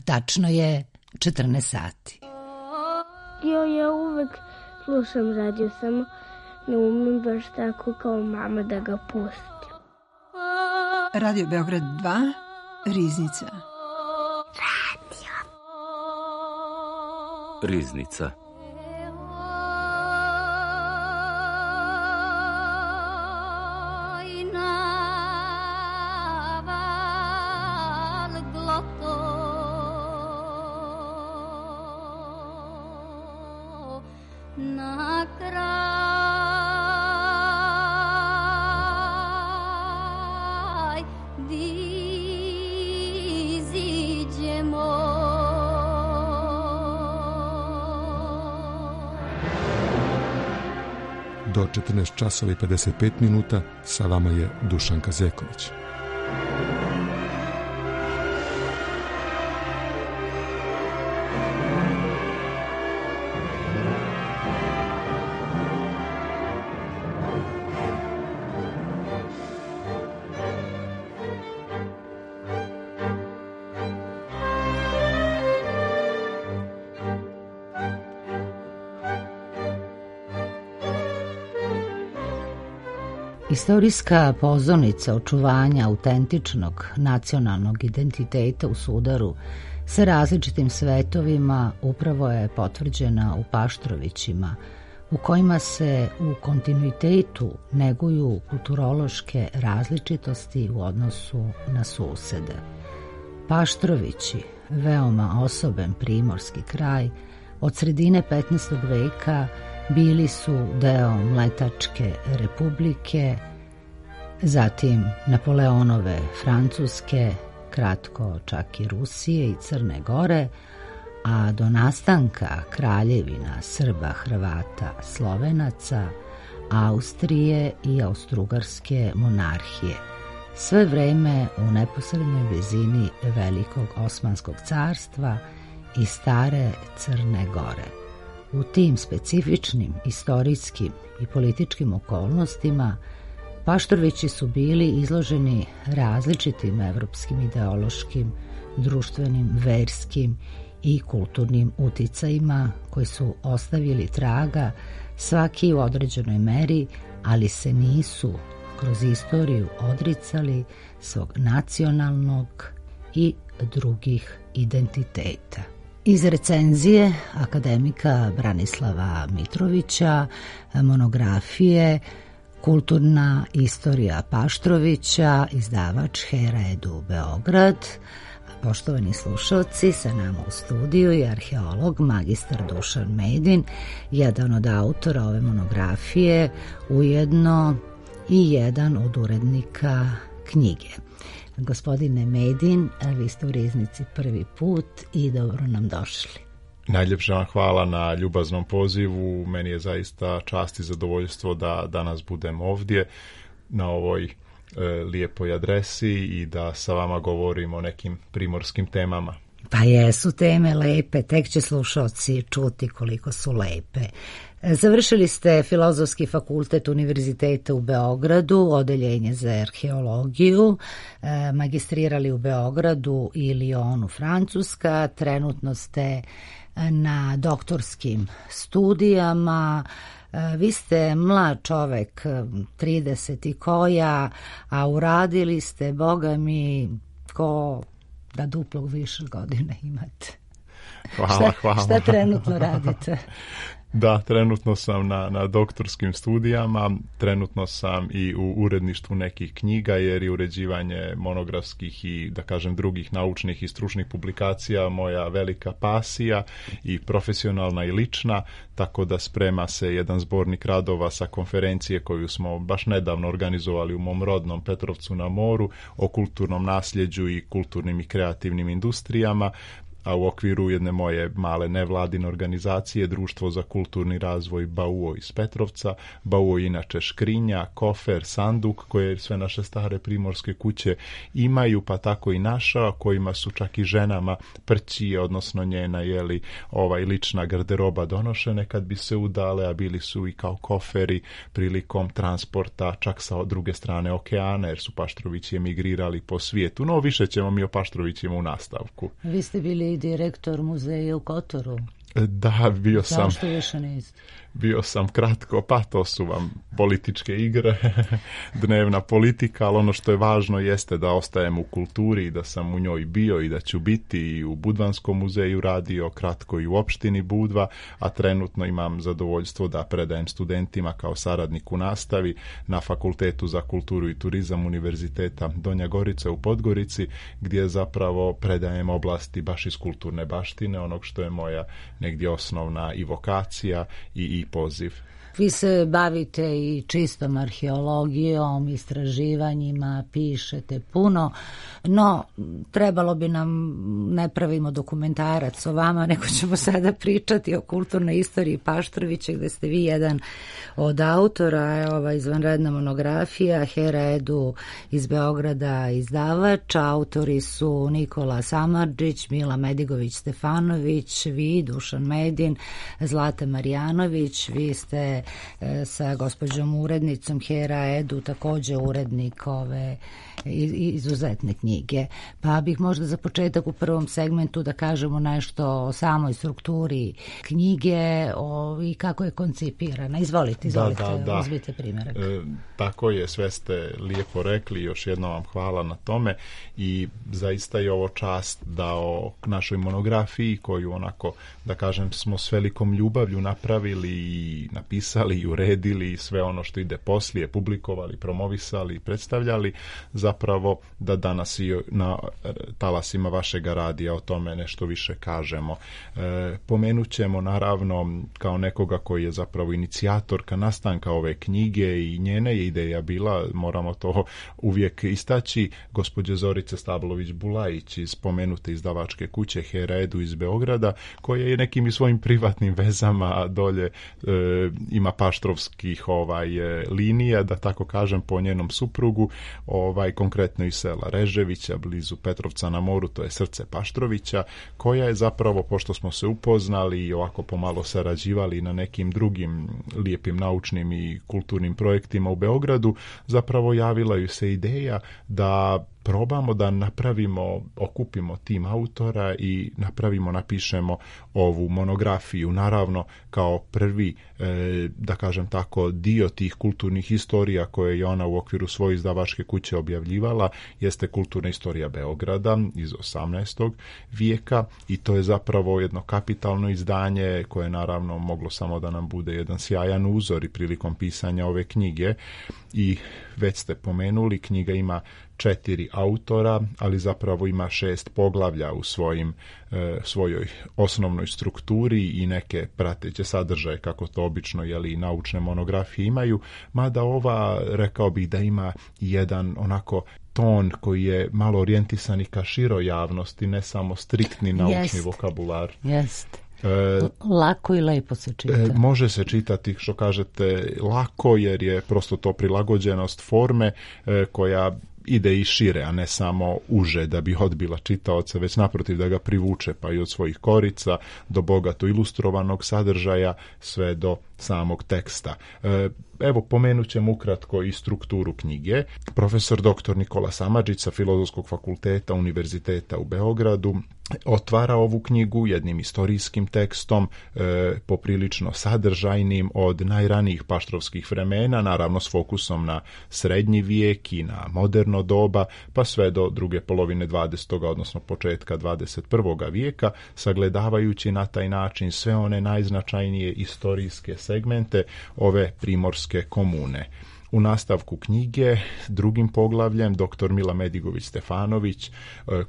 Tačno je 14 sati. Ja uvek slušam radio, samo ne umem baš tako kao mama da ga pustim. Radio Beograd 2, Riznica. Riznica. Do 14 časova i 55 minuta sa vama je Dušanka Zeković. Istorijska pozornica očuvanja autentičnog nacionalnog identiteta u sudaru sa različitim svetovima upravo je potvrđena u Paštrovićima, u kojima se u kontinuitetu neguju kulturološke različitosti u odnosu na susede. Paštrovići, veoma osoben primorski kraj, od sredine 15. veka bili su deo Mletačke republike, zatim Napoleonove Francuske, kratko čak i Rusije i Crne Gore, a do nastanka kraljevina Srba, Hrvata, Slovenaca, Austrije i Austrougarske monarhije, sve vreme u neposrednoj blizini Velikog Osmanskog carstva i stare Crne Gore. U tim specifičnim istorijskim i političkim okolnostima Paštrovići su bili izloženi različitim evropskim ideološkim, društvenim, verskim i kulturnim uticajima koji su ostavili traga svaki u određenoj meri, ali se nisu kroz istoriju odricali svog nacionalnog i drugih identiteta. Iz recenzije akademika Branislava Mitrovića, monografije Kulturna istorija Paštrovića, izdavač Hera Edu Beograd. Poštovani slušalci, sa nama u studiju je arheolog magistar Dušan Medin, jedan od autora ove monografije, ujedno i jedan od urednika knjige. Gospodine Medin, vi ste u Riznici prvi put i dobro nam došli. Najljepša vam hvala na ljubaznom pozivu. Meni je zaista čast i zadovoljstvo da danas budem ovdje na ovoj lijepoj adresi i da sa vama govorim o nekim primorskim temama. Pa jesu teme lepe, tek će slušalci čuti koliko su lepe. Završili ste Filozofski fakultet Univerziteta u Beogradu, odeljenje za arheologiju, magistrirali u Beogradu i Lyonu, Francuska, trenutno ste na doktorskim studijama. Vi ste mlad čovek, 30 i koja, a uradili ste, boga mi, ko da duplo više godine imate. Hvala. Šta trenutno radite? Da, trenutno sam na doktorskim studijama, trenutno sam i u uredništvu nekih knjiga, jer je uređivanje monografskih i, da kažem, drugih naučnih i stručnih publikacija moja velika pasija i profesionalna i lična, tako da sprema se jedan zbornik radova sa konferencije koju smo baš nedavno organizovali u mom rodnom Petrovcu na moru o kulturnom nasljeđu i kulturnim i kreativnim industrijama, a u okviru jedne moje male nevladine organizacije Društvo za kulturni razvoj Bauo iz Petrovca. Bauo je inače škrinja, kofer, sanduk koje sve naše stare primorske kuće imaju, pa tako i naša, kojima su čak i ženama prćije, odnosno njena lična garderoba donošene kad bi se udale, a bili su i kao koferi prilikom transporta čak sa druge strane okeana, jer su Paštrovići emigrirali po svijetu. No, više ćemo mi o Paštrovićima u nastavku. Vi ste bili i direktor muzeja u Kotoru. Da, bio sam. Zašto više niste? Bio sam kratko, pa to su vam političke igre, dnevna politika, ali ono što je važno jeste da ostajem u kulturi i da sam u njoj bio i da ću biti i u Budvanskom muzeju radio, kratko i u opštini Budva, a trenutno imam zadovoljstvo da predajem studentima kao saradnik u nastavi na Fakultetu za kulturu i turizam Univerziteta Donja Gorica u Podgorici, gdje zapravo predajem oblasti baš iz kulturne baštine, onog što je moja negdje osnovna i vokacija i poziv. Vi se bavite i čistom arheologijom, istraživanjima, pišete puno, no trebalo bi nam, ne pravimo dokumentarac o vama, nego ćemo sada pričati o kulturnoj istoriji Paštrovića, gde ste vi jedan od autora, ova izvanredna monografija, Hera Edu iz Beograda izdavač, autori su Nikola Samardžić, Mila Medigović-Stefanović, vi, Dušan Medin, Zlata Marjanović, vi ste sa gospođom urednicom Hera Edu takođe urednik ove izuzetne knjige. Pa bih možda za početak u prvom segmentu da kažemo nešto o samoj strukturi knjige i kako je koncipirana. Izvolite, uzmite primjerak. Tako je, sve ste lijepo rekli, još jednom vam hvala na tome i zaista je ovo čast da o našoj monografiji, koju onako, da kažem, smo s velikom ljubavlju napravili i napisali i uredili i sve ono što ide poslije, publikovali, promovisali i predstavljali, zapravo da danas i na talasima vašega radija o tome nešto više kažemo. Pomenut ćemo naravno kao nekoga koji je zapravo inicijatorka nastanka ove knjige i njena je ideja bila, moramo to uvijek istaći, gospođe Zorice Stablović-Bulajić iz spomenute izdavačke kuće Hera Edu iz Beograda, koja je nekim i svojim privatnim vezama dolje ima paštrovskih linija, da tako kažem, po njenom suprugu, konkretno iz sela Reževića, blizu Petrovca na moru, to je srce Paštrovića, koja je zapravo, pošto smo se upoznali i ovako pomalo sarađivali na nekim drugim lijepim naučnim i kulturnim projektima u Beogradu, zapravo javila ju se ideja da probamo da napravimo, okupimo tim autora i napišemo ovu monografiju. Naravno, kao prvi, da kažem tako, dio tih kulturnih historija koje je ona u okviru svoje izdavačke kuće objavljivala, jeste kulturna istorija Beograda iz 18. vijeka i to je zapravo jedno kapitalno izdanje koje naravno moglo samo da nam bude jedan sjajan uzor i prilikom pisanja ove knjige. I već ste pomenuli, knjiga ima 4 autora, ali zapravo ima 6 poglavlja u svojoj osnovnoj strukturi i neke prateće sadržaje, kako to obično i naučne monografije imaju, mada ova, rekao bih da ima jedan onako ton koji je malo orijentisan i ka široj javnosti, ne samo striktni naučni vokabular. Jeste. Lako i lepo se čita. Može se čitati, što kažete, lako, jer je prosto to prilagođenost forme koja ide i šire, a ne samo uže da bi odbila čitaoca, već naprotiv da ga privuče, pa i od svojih korica do bogato ilustrovanog sadržaja sve do samog teksta. Evo, pomenut ćemo ukratko i strukturu knjige. Profesor dr. Nikola Samardžić sa Filozofskog fakulteta Univerziteta u Beogradu otvara ovu knjigu jednim istorijskim tekstom, poprilično sadržajnim od najranijih paštrovskih vremena, naravno s fokusom na srednji vijek i na moderno doba, pa sve do druge polovine 20. odnosno početka 21. vijeka, sagledavajući na taj način sve one najznačajnije istorijske segmente ove primorske komune. U nastavku knjige, drugim poglavljem, dr. Mila Medigović-Stefanović,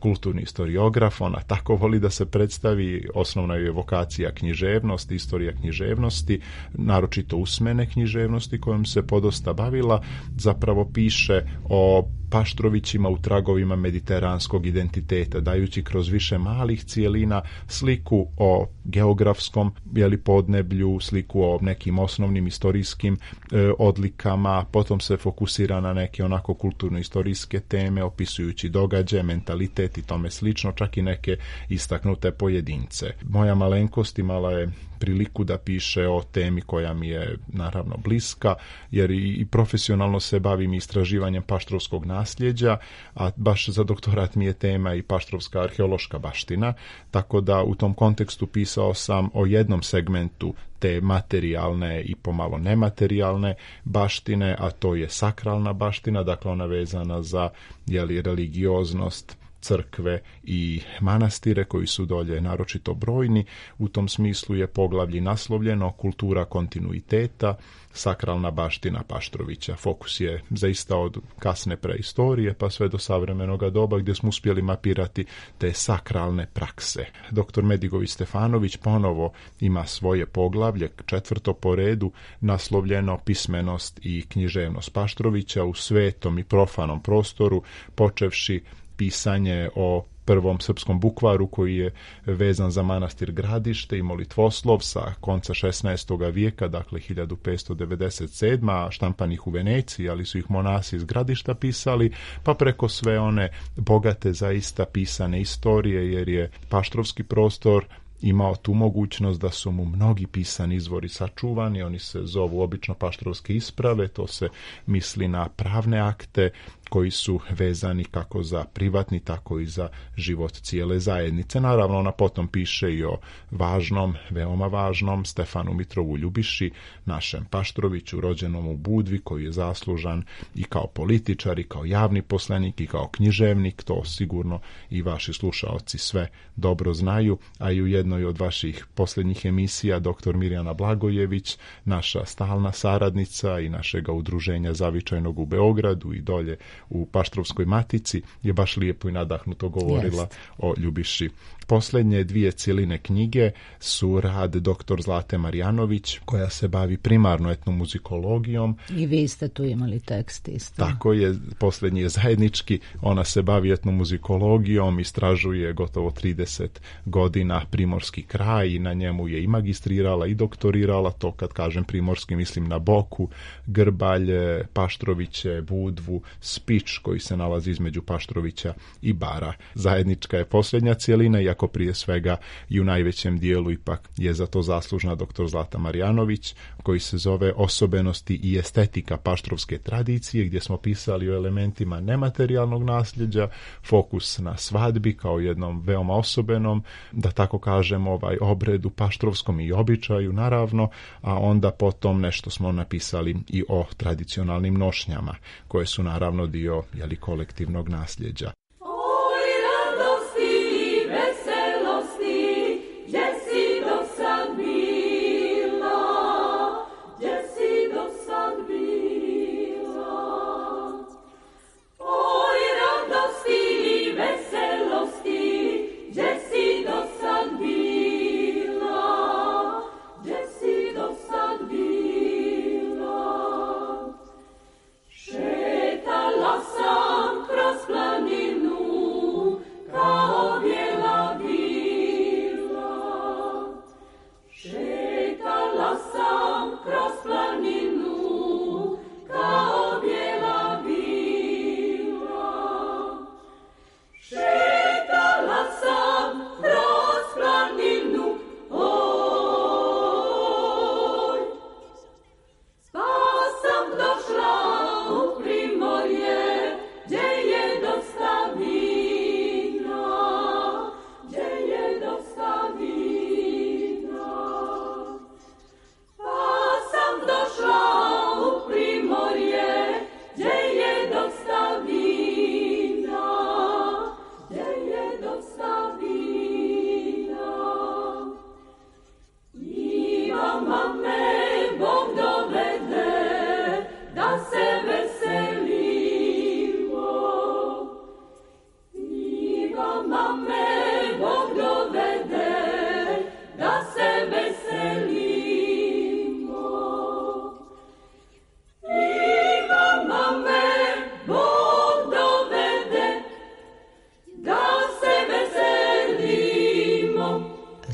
kulturni historiograf, ona tako voli da se predstavi, osnovna je vokacija književnost, istorija književnosti, naročito usmene književnosti kojom se podosta bavila, zapravo piše o Paštrovićima u tragovima mediteranskog identiteta, dajući kroz više malih cijelina sliku o geografskom podneblju, sliku o nekim osnovnim istorijskim odlikama, potom se fokusira na neke onako kulturno-istorijske teme, opisujući događaje, mentalitet i tome slično, čak i neke istaknute pojedince. Moja malenkost imala je priliku da piše o temi koja mi je naravno bliska, jer i profesionalno se bavim istraživanjem paštrovskog nasljeđa, a baš za doktorat mi je tema i paštrovska arheološka baština, tako da u tom kontekstu pisao sam o jednom segmentu te materijalne i pomalo nematerijalne baštine, a to je sakralna baština, dakle ona vezana za religioznost crkve i manastire koji su dolje naročito brojni. U tom smislu je poglavlje naslovljeno Kultura kontinuiteta, sakralna baština Paštrovića. Fokus je zaista od kasne preistorije pa sve do savremenog doba gdje smo uspjeli mapirati te sakralne prakse. Dr. Medigović Stefanović ponovo ima svoje poglavlje, 4. po redu, naslovljeno Pismenost i književnost Paštrovića u svetom i profanom prostoru, počevši pisanje o prvom srpskom bukvaru koji je vezan za manastir Gradište i molitvoslov sa konca 16. vijeka, dakle 1597. a štampanih u Veneciji, ali su ih monasi iz Gradišta pisali, pa preko sve one bogate zaista pisane istorije, jer je paštrovski prostor imao tu mogućnost da su mu mnogi pisani izvori sačuvani, oni se zovu obično paštrovske isprave, to se misli na pravne akte koji su vezani kako za privatni, tako i za život cijele zajednice. Naravno, ona potom piše i o važnom, veoma važnom Stefanu Mitrovu Ljubiši, našem Paštroviću, rođenom u Budvi, koji je zaslužan i kao političar, i kao javni poslanik, i kao književnik. To sigurno i vaši slušaoci sve dobro znaju, a i u jednoj od vaših posljednjih emisija dr. Mirjana Blagojević, naša stalna saradnica i našega udruženja Zavičajnog u Beogradu i dolje u Paštrovskoj matici, je baš lijepo i nadahnuto govorila o Ljubiši. Posljednje 2 cjeline knjige su rad dr. Zlate Marjanović, koja se bavi primarno etnomuzikologijom. I vi ste tu imali tekst isto. Tako je, posljednji je zajednički, ona se bavi etnomuzikologijom, istražuje gotovo 30 godina primorski kraj i na njemu je i magistrirala i doktorirala, to kad kažem primorski mislim na Boku, Grbalj, Paštroviće, Budvu, Spič koji se nalazi između Paštrovića i Bara. Zajednička je posljednja cjelina, iako prije svega i u najvećem dijelu ipak je za to zaslužna dr. Zlata Marjanović, koji se zove Osobenosti i estetika paštrovske tradicije, gdje smo pisali o elementima nematerijalnog nasljeđa, fokus na svadbi kao jednom veoma osobenom, da tako kažem, obredu paštrovskom i običaju naravno, a onda potom nešto smo napisali i o tradicionalnim nošnjama, koje su naravno dio kolektivnog nasljeđa.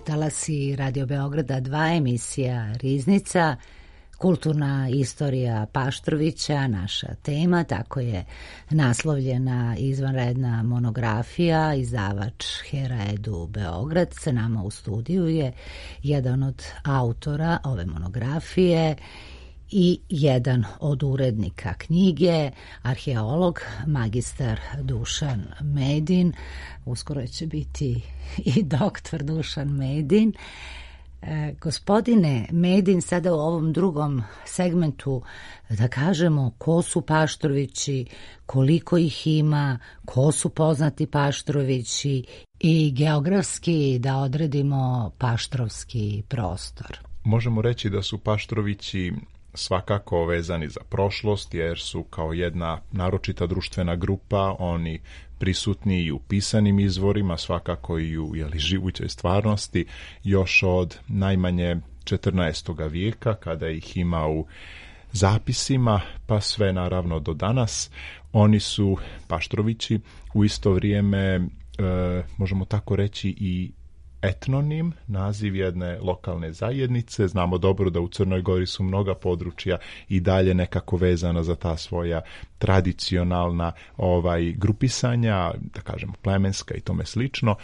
Talasi Radio Beograda 2, emisija Riznica, Kulturna istorija Paštrovića, naša tema, tako je naslovljena izvanredna monografija, izdavač Hera Edu Beograd. Sa nama u studiju je jedan od autora ove monografije i jedan od urednika knjige, arheolog, magistar Dušan Medin. Uskoro će biti i doktor Dušan Medin. Gospodine Medin, sada u ovom drugom segmentu da kažemo ko su Paštrovići, koliko ih ima, ko su poznati Paštrovići i geografski da odredimo paštrovski prostor. Možemo reći da su Paštrovići svakako vezani za prošlost, jer su kao jedna naročita društvena grupa oni prisutni i u pisanim izvorima, svakako i u živućoj stvarnosti, još od najmanje 14. vijeka, kada ih ima u zapisima, pa sve naravno do danas. Oni su, Paštrovići, u isto vrijeme, možemo tako reći, i etnonim, naziv jedne lokalne zajednice. Znamo dobro da u Crnoj Gori su mnoga područja i dalje nekako vezana za ta svoja tradicionalna grupisanja, da kažemo plemenska i tome slično.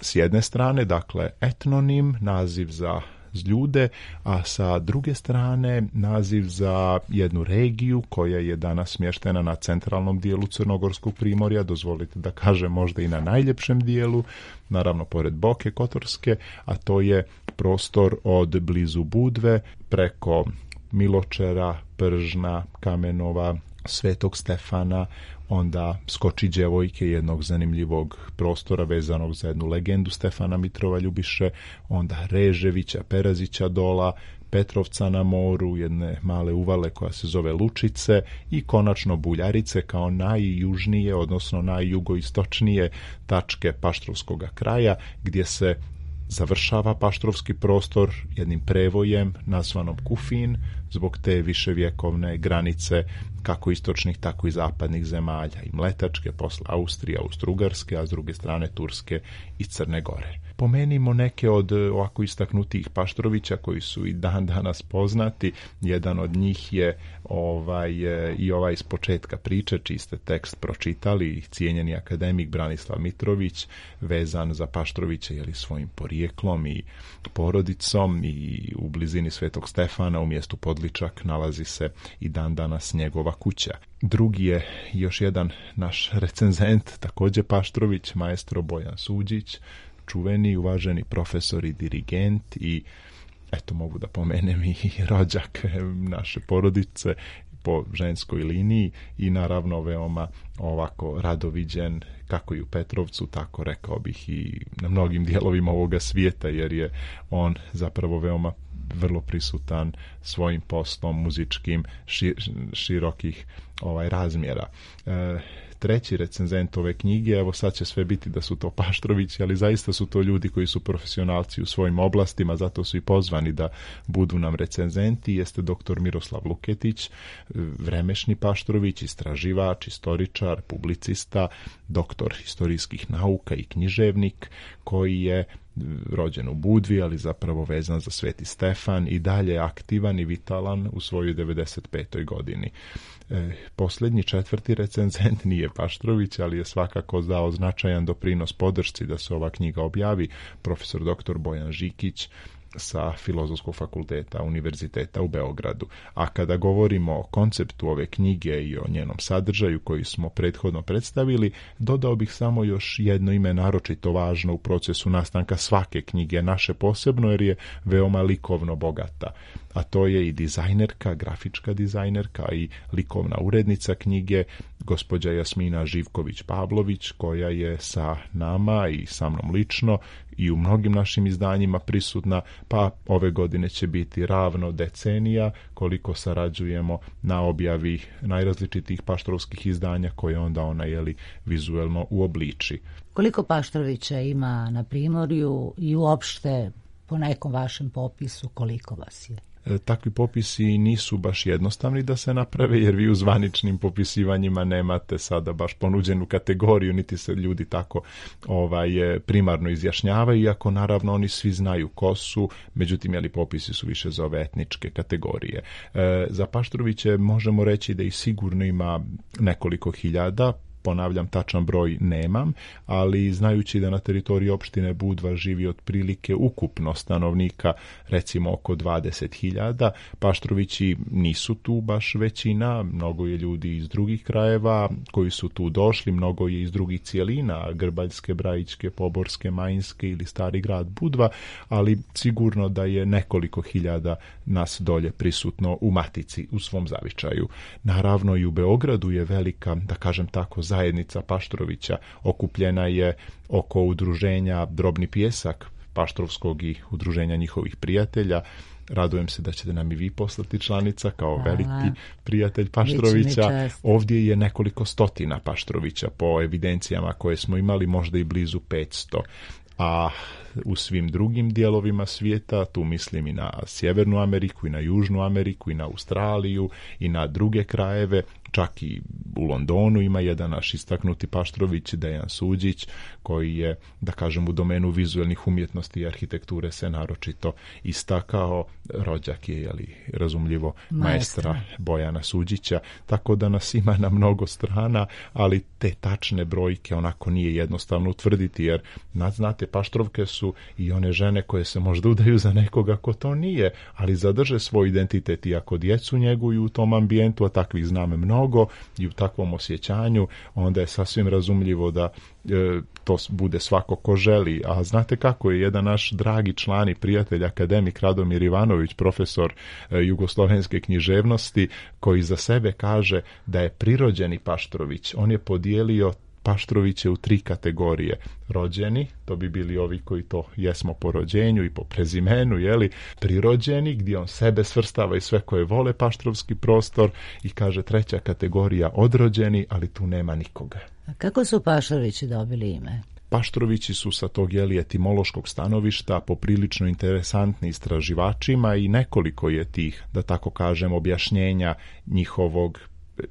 S jedne strane, dakle, etnonim, naziv za ljude, a sa druge strane naziv za jednu regiju koja je danas smještena na centralnom dijelu Crnogorskog primorja, dozvolite da kažem možda i na najljepšem dijelu, naravno pored Boke Kotorske, a to je prostor od blizu Budve preko Miločera, Pržna, Kamenova, Svetog Stefana, onda Skoči Đevojke, jednog zanimljivog prostora vezanog za jednu legendu Stefana Mitrova Ljubiše, onda Reževića, Perazića dola, Petrovca na moru, jedne male uvale koja se zove Lučice i konačno Buljarice kao najjužnije, odnosno najjugoistočnije tačke Paštrovskog kraja, gdje se završava paštrovski prostor jednim prevojem nazvanom Kufin, zbog te viševjekovne granice kako istočnih, tako i zapadnih zemalja, i Mletačke, posle Austrije, Austro-Ugarske, a s druge strane Turske i Crne Gore. Pomenimo neke od ovako istaknutih Paštrovića koji su i dan danas poznati. Jedan od njih je i ovaj iz početka priče, čiji ste tekst pročitali, cijenjeni akademik Branislav Mitrović, vezan za Paštrovića svojim porijeklom i porodicom, i u blizini Svetog Stefana u mjestu Podličak nalazi se i dan danas njegova kuća. Drugi je još jedan naš recenzent, također Paštrović, maestro Bojan Suđić, čuveni, uvaženi profesor i dirigent, i eto mogu da pomenem i rođak naše porodice po ženskoj liniji, i naravno veoma ovako radoviđen kako i u Petrovcu, tako rekao bih i na mnogim dijelovima ovoga svijeta, jer je on zapravo veoma vrlo prisutan svojim poslom muzičkim širokih razmjera. Treći recenzent ove knjige, evo sad će sve biti da su to Paštrovići, ali zaista su to ljudi koji su profesionalci u svojim oblastima, zato su i pozvani da budu nam recenzenti, jeste doktor Miroslav Luketić, vremešni Paštrović, istraživač, istoričar, publicista, doktor historijskih nauka i književnik, koji je rođen u Budvi, ali zapravo vezan za Sveti Stefan, i dalje aktivan i vitalan u svojoj 95. godini. Posljednji, četvrti recenzent nije Paštrović, ali je svakako dao značajan doprinos podršci da se ova knjiga objavi, profesor dr. Bojan Žikić sa Filozofskog fakulteta Univerziteta u Beogradu. A kada govorimo o konceptu ove knjige i o njenom sadržaju koji smo prethodno predstavili, dodao bih samo još jedno ime naročito važno u procesu nastanka svake knjige, naše posebno, jer je veoma likovno bogata. A to je i dizajnerka, grafička dizajnerka i likovna urednica knjige, gospođa Jasmina Živković-Pavlović, koja je sa nama i sa mnom lično i u mnogim našim izdanjima prisutna, pa ove godine će biti ravno decenija koliko sarađujemo na objavi najrazličitih paštrovskih izdanja koje onda ona vizuelno uobliči. Koliko Paštrovića ima na Primorju i uopšte po nekom vašem popisu koliko vas je? takvi popisi nisu baš jednostavni da se naprave, jer vi u zvaničnim popisivanjima nemate sada baš ponuđenu kategoriju, niti se ljudi tako primarno izjašnjavaju, iako naravno oni svi znaju ko su, međutim popisi su više za ove etničke kategorije. Za Paštroviće možemo reći da i sigurno ima nekoliko hiljada, ponavljam, tačan broj nemam, ali znajući da na teritoriji opštine Budva živi otprilike ukupno stanovnika recimo oko 20.000, Paštrovići nisu tu baš većina, mnogo je ljudi iz drugih krajeva koji su tu došli, mnogo je iz drugih cijelina, Grbaljske, Brajičke, Poborske, Majinske ili Stari grad Budva, ali sigurno da je nekoliko hiljada nas dolje prisutno u Matici, u svom zavičaju. Naravno i u Beogradu je velika, da kažem tako, zajednica Paštrovića, okupljena je oko udruženja Drobni pjesak Paštrovskog i udruženja njihovih prijatelja. Radujem se da ćete nam i vi poslati članica kao veliki prijatelj Paštrovića. Ovdje je nekoliko stotina Paštrovića po evidencijama koje smo imali, možda i blizu 500. A u svim drugim dijelovima svijeta, tu mislim i na Sjevernu Ameriku, i na Južnu Ameriku, i na Australiju, i na druge krajeve, čak i u Londonu ima jedan naš istaknuti Paštrović, Dejan Suđić, koji je, da kažem, u domenu vizualnih umjetnosti i arhitekture se naročito istakao. Rođak je, razumljivo, maestra Bojana Suđića, tako da nas ima na mnogo strana, ali te tačne brojke onako nije jednostavno utvrditi, jer znate, Paštrovke su i one žene koje se možda udaju za nekoga ko to nije, ali zadrže svoj identitet i ako djecu njeguju u tom ambijentu, a takvih znamo mnogo i u takvom osjećanju, onda je sasvim razumljivo da to bude svako ko želi. A znate kako je jedan naš dragi član i prijatelj, akademik Radomir Ivanović, profesor jugoslovenske književnosti, koji za sebe kaže da je prirođeni Paštrović. On je podijelio Paštroviće u 3 kategorije. Rođeni, to bi bili ovi koji to jesmo po rođenju i po prezimenu, prirođeni, gdje on sebe svrstava i sve koje vole paštrovski prostor, i kaže 3. kategorija odrođeni, ali tu nema nikoga. A kako su Paštrovići dobili ime? Paštrovići su sa tog etimološkog stanovišta poprilično interesantni istraživačima i nekoliko je tih, da tako kažem, objašnjenja njihovog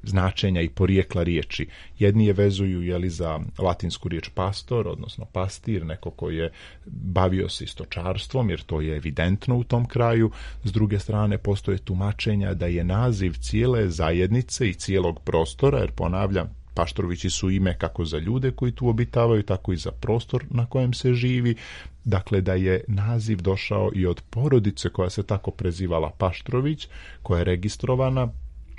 značenja i porijekla riječi. Jedni je vezuju za latinsku riječ pastor, odnosno pastir, neko koji je bavio se stočarstvom, jer to je evidentno u tom kraju. S druge strane, postoje tumačenja da je naziv cijele zajednice i cijelog prostora, jer ponavljam, Paštrovići su ime kako za ljude koji tu obitavaju, tako i za prostor na kojem se živi. Dakle, da je naziv došao i od porodice koja se tako prezivala Paštrović, koja je registrovana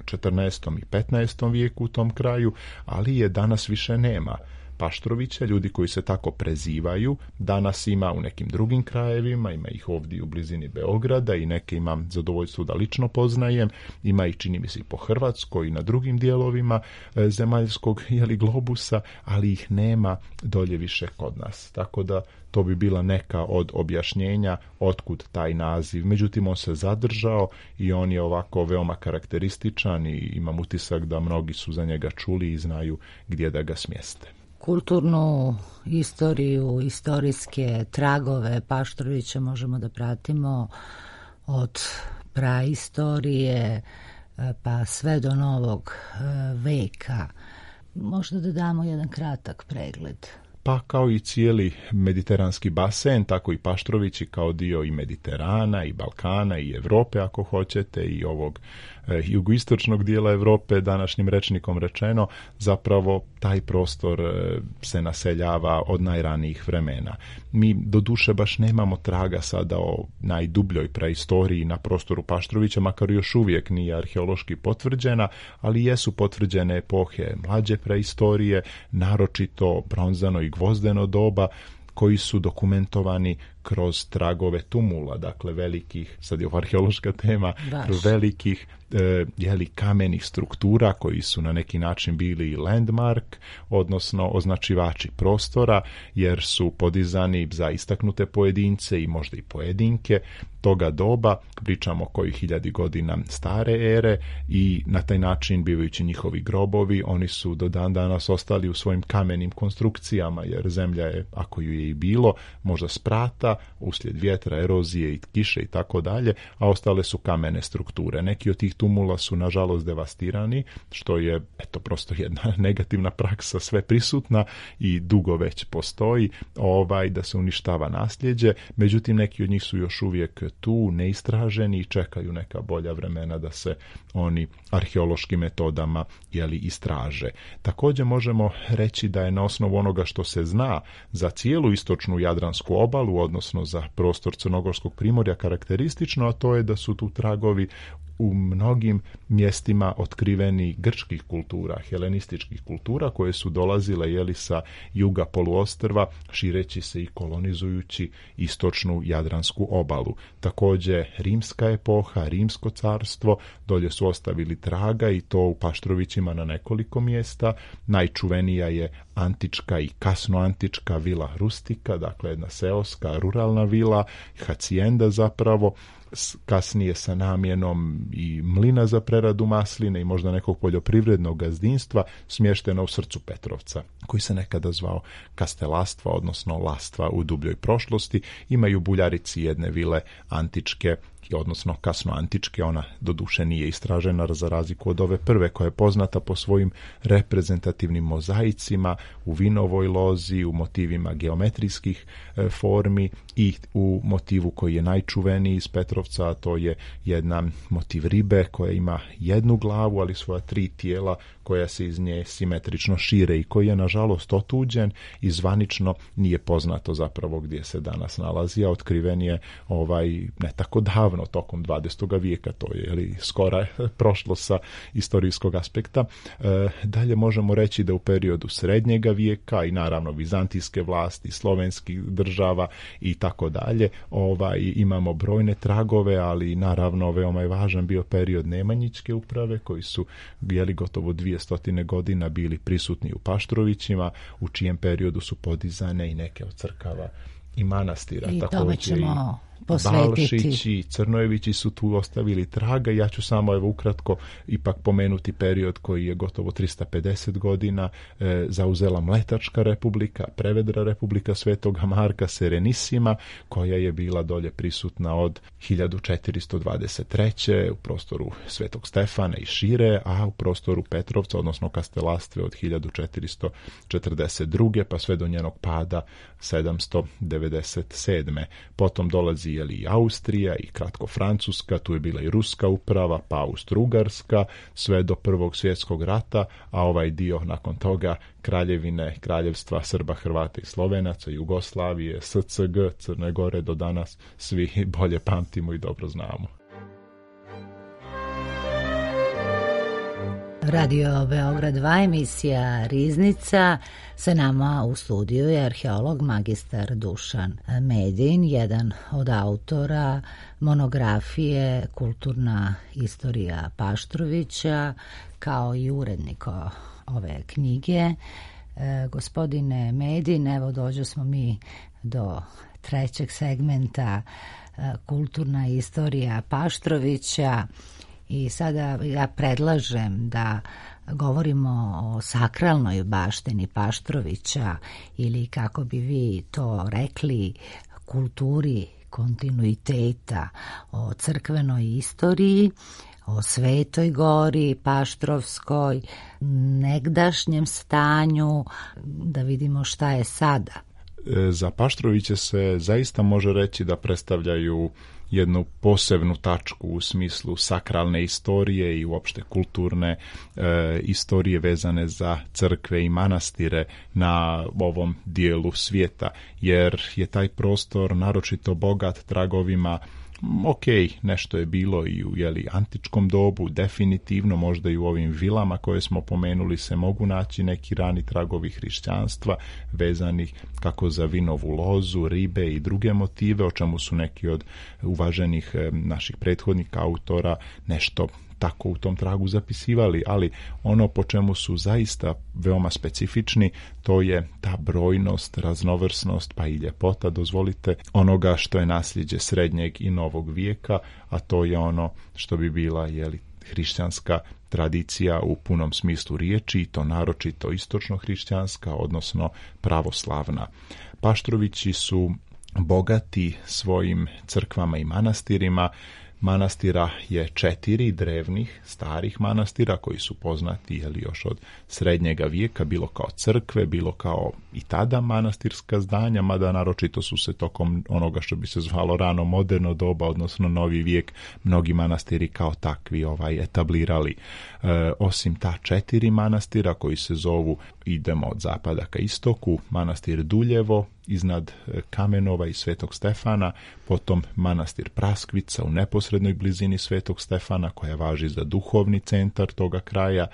14. i 15. vijeku u tom kraju, ali je danas više nema. Paštrovića, ljudi koji se tako prezivaju, danas ima u nekim drugim krajevima, ima ih ovdje u blizini Beograda i neke imam zadovoljstvo da lično poznajem, ima ih, čini mi se, i po Hrvatskoj i na drugim dijelovima zemaljskog globusa, ali ih nema dolje više kod nas. Tako da to bi bila neka od objašnjenja otkud taj naziv. Međutim, on se zadržao i on je ovako veoma karakterističan i imam utisak da mnogi su za njega čuli i znaju gdje da ga smjeste. Kulturnu istoriju, istorijske tragove Paštrovića možemo da pratimo od praistorije pa sve do novog veka. Možda da damo jedan kratak pregled. Pa kao i cijeli mediteranski basen, tako i Paštrovići kao dio i Mediterana i Balkana i Europe, ako hoćete, i ovog jugoistočnog dijela Europe, današnjim rečnikom rečeno, zapravo taj prostor se naseljava od najranijih vremena. Mi doduše baš nemamo traga sada o najdubljoj praistoriji na prostoru Paštrovića, makar još uvijek nije arheološki potvrđena, ali jesu potvrđene epohe mlađe praistorije, naročito bronzano i gvozdeno doba, koji su dokumentovani kroz tragove tumula, dakle velikih, sad je ovo arheološka tema, velikih kamenih struktura koji su na neki način bili landmark, odnosno označivači prostora, jer su podizani za istaknute pojedince i možda i pojedinke toga doba, pričamo kojih 1000 godina stare ere, i na taj način, bivajući njihovi grobovi, oni su do dan danas ostali u svojim kamenim konstrukcijama, jer zemlja je, ako ju je i bilo, možda sprata, snijega, uslijed vjetra, erozije i kiše i tako dalje, a ostale su kamene strukture. Neki od tih tumula su nažalost devastirani, što je prosto jedna negativna praksa sve prisutna i dugo već postoji da se uništava nasljeđe, međutim neki od njih su još uvijek tu, neistraženi i čekaju neka bolja vremena da se oni arheološkim metodama istraže. Također možemo reći da je na osnovu onoga što se zna za cijelu istočnu Jadransku obalu, odnosno za prostor Crnogorskog primorja karakteristično, a to je da su tu tragovi u mnogim mjestima otkriveni grčkih kultura, helenističkih kultura koje su dolazile sa juga poluostrva, šireći se i kolonizujući istočnu Jadransku obalu. Također rimska epoha, rimsko carstvo, dolje su ostavili traga i to u Paštrovićima na nekoliko mjesta. Najčuvenija je antička i kasnoantička vila rustika, dakle jedna seoska, ruralna vila, hacijenda zapravo, kasnije sa namjenom i mlina za preradu masline i možda nekog poljoprivrednog gazdinstva, smještena u srcu Petrovca, koji se nekada zvao Kastelastva, odnosno Lastva u dubljoj prošlosti. Imaju Buljarici jedne vile antičke, odnosno kasnoantičke, ona doduše nije istražena za razliku od ove prve koja je poznata po svojim reprezentativnim mozaicima u vinovoj lozi, u motivima geometrijskih formi i u motivu koji je najčuveniji iz Petrovca, a to je jedna motiv ribe koja ima jednu glavu, ali svoja 3 tijela koja se iz nje simetrično šire i koji je nažalost otuđen i zvanično nije poznato zapravo gdje se danas nalazi, a otkriven je ne tako davno, tokom 20. vijeka, to je skora prošlo sa istorijskog aspekta. Dalje možemo reći da u periodu srednjega vijeka i naravno vizantijske vlasti, slovenskih država i tako dalje, imamo brojne tragove, ali naravno veoma je važan bio period Nemanjićke uprave koji su gotovo 200 godina bili prisutni u Paštrovićima, u čijem periodu su podizane i neke od crkava i manastira. I tome ćemo posvetiti. Balšići i Crnojevići su tu ostavili traga. Ja ću samo ukratko ipak pomenuti period koji je gotovo 350 godina zauzela Mletačka republika, Prevedra republika Svetoga Marka Serenissima, koja je bila dolje prisutna od 1423. u prostoru Svetog Stefana i šire, a u prostoru Petrovca, odnosno Kastelastve od 1442. pa sve do njenog pada 797. Potom dolazi i Austrija i kratko Francuska, tu je bila i ruska uprava, pa Austro-Ugarska, sve do Prvog svjetskog rata, a ovaj dio nakon toga kraljevstva Srba, Hrvata i Slovenaca, Jugoslavije, SCG, Crne Gore, do danas svi bolje pamtimo i dobro znamo. Radio Beograd 2, emisija Riznica. Sa nama u studiju je arheolog magistar Dušan Medin, jedan od autora monografije Kulturna istorija Paštrovića, kao i urednik ove knjige. Gospodine Medin, evo dođo smo mi do trećeg segmenta Kulturna istorija Paštrovića. I sada ja predlažem da govorimo o sakralnoj baštini Paštrovića ili, kako bi vi to rekli, kulturi kontinuiteta, o crkvenoj istoriji, o Svetoj Gori Paštrovskoj, negdašnjem stanju, da vidimo šta je sada. Za Paštroviće se zaista može reći da predstavljaju jednu posebnu tačku u smislu sakralne istorije i uopšte kulturne istorije vezane za crkve i manastire na ovom dijelu svijeta, jer je taj prostor naročito bogat tragovima. Ok, nešto je bilo i u antičkom dobu, definitivno možda i u ovim vilama koje smo pomenuli se mogu naći neki rani tragovi hrišćanstva vezanih kako za vinovu lozu, ribe i druge motive, o čemu su neki od uvaženih naših prethodnika autora nešto tako u tom tragu zapisivali, ali ono po čemu su zaista veoma specifični, to je ta brojnost, raznovrsnost pa i ljepota, dozvolite, onoga što je nasljeđe srednjeg i novog vijeka, a to je ono što bi bila hrišćanska tradicija u punom smislu riječi, i to naročito istočno hrišćanska, odnosno pravoslavna. Paštrovići su bogati svojim crkvama i manastirima. Manastira je 4 drevnih, starih manastira koji su poznati još od srednjega vijeka, bilo kao crkve, bilo kao i tada manastirska zdanja, mada naročito su se tokom onoga što bi se zvalo rano moderno doba, odnosno novi vijek, mnogi manastiri kao takvi etablirali. Osim ta 4 manastira koji se zovu, idemo od zapada ka istoku, manastir Duljevo iznad Kamenova i Svetog Stefana, potom manastir Praskvica u neposrednoj blizini Svetog Stefana koja važi za duhovni centar toga kraja,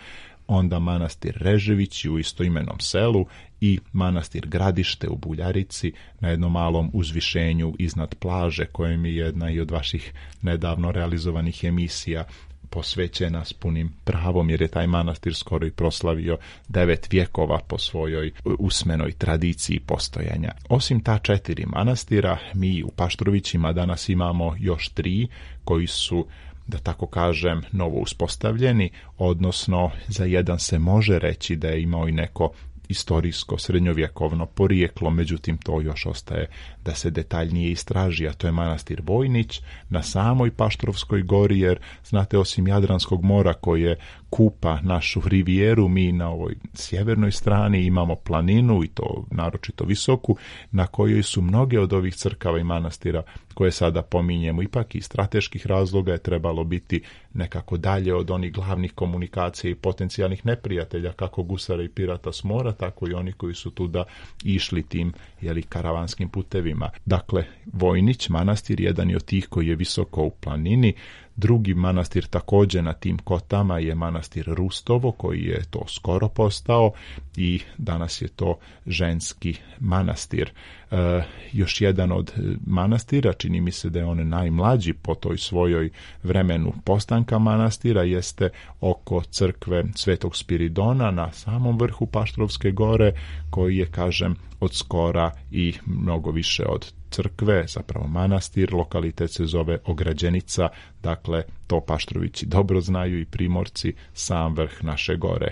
onda manastir Reževići u istoimenom selu i manastir Gradište u Buljarici na jednom malom uzvišenju iznad plaže, kojem je jedna i od vaših nedavno realizovanih emisija posvećena s punim pravom, jer je taj manastir skoro i proslavio 9 vjekova po svojoj usmenoj tradiciji postojanja. Osim ta 4 manastira, mi u Paštrovićima danas imamo još 3 koji su, da tako kažem, novo uspostavljeni, odnosno za jedan se može reći da je imao i neko istorijsko srednjovjekovno porijeklo, međutim to još ostaje da se detaljnije istraži, a to je manastir Vojnić na samoj Paštrovskoj gori, jer znate, osim Jadranskog mora koje kupa našu rivijeru, mi na ovoj sjevernoj strani imamo planinu, i to naročito visoku, na kojoj su mnoge od ovih crkava i manastira koje sada pominjemo. Ipak iz strateških razloga je trebalo biti nekako dalje od onih glavnih komunikacija i potencijalnih neprijatelja, kako gusara i pirata s mora, tako i oni koji su tuda išli tim karavanskim putevima. Dakle, Vojnić manastir jedan je od tih koji je visoko u planini. Drugi manastir također na tim kotama je manastir Rustovo, koji je to skoro postao i danas je to ženski manastir. Još jedan od manastira, čini mi se da je on najmlađi po toj svojoj vremenu postanka manastira, jeste oko crkve Svetog Spiridona na samom vrhu Paštrovske gore, koji je, kažem, od skora i mnogo više od crkve, zapravo manastir. Lokalitet se zove Ograđenica, dakle to Paštrovići dobro znaju i Primorci, sam vrh naše gore.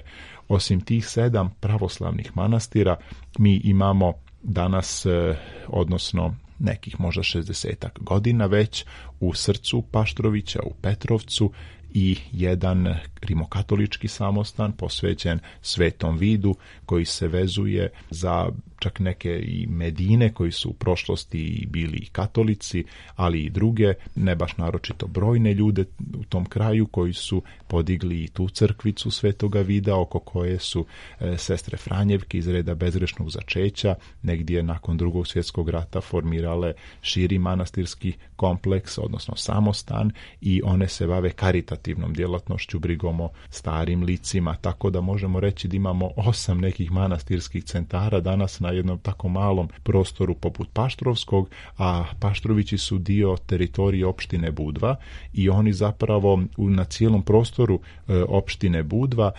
Osim tih 7 pravoslavnih manastira, mi imamo danas, odnosno nekih možda 60 godina već, u srcu Paštrovića, u Petrovcu, i jedan rimokatolički samostan posvećen Svetom Vidu, koji se vezuje za čak neke i Medine koji su u prošlosti bili i katolici, ali i druge, ne baš naročito brojne ljude u tom kraju koji su podigli i tu crkvicu Svetoga Vida, oko koje su sestre Franjevke iz reda bezgrešnog začeća negdje nakon Drugog svjetskog rata formirale širi manastirski kompleks, odnosno samostan, i one se bave karitativnom djelatnošću, brigom o starim licima, tako da možemo reći da imamo 8 nekih manastirskih centara danas na jednom tako malom prostoru poput Paštrovskog, a Paštrovići su dio teritorije opštine Budva i oni zapravo na cijelom prostoru opštine Budva,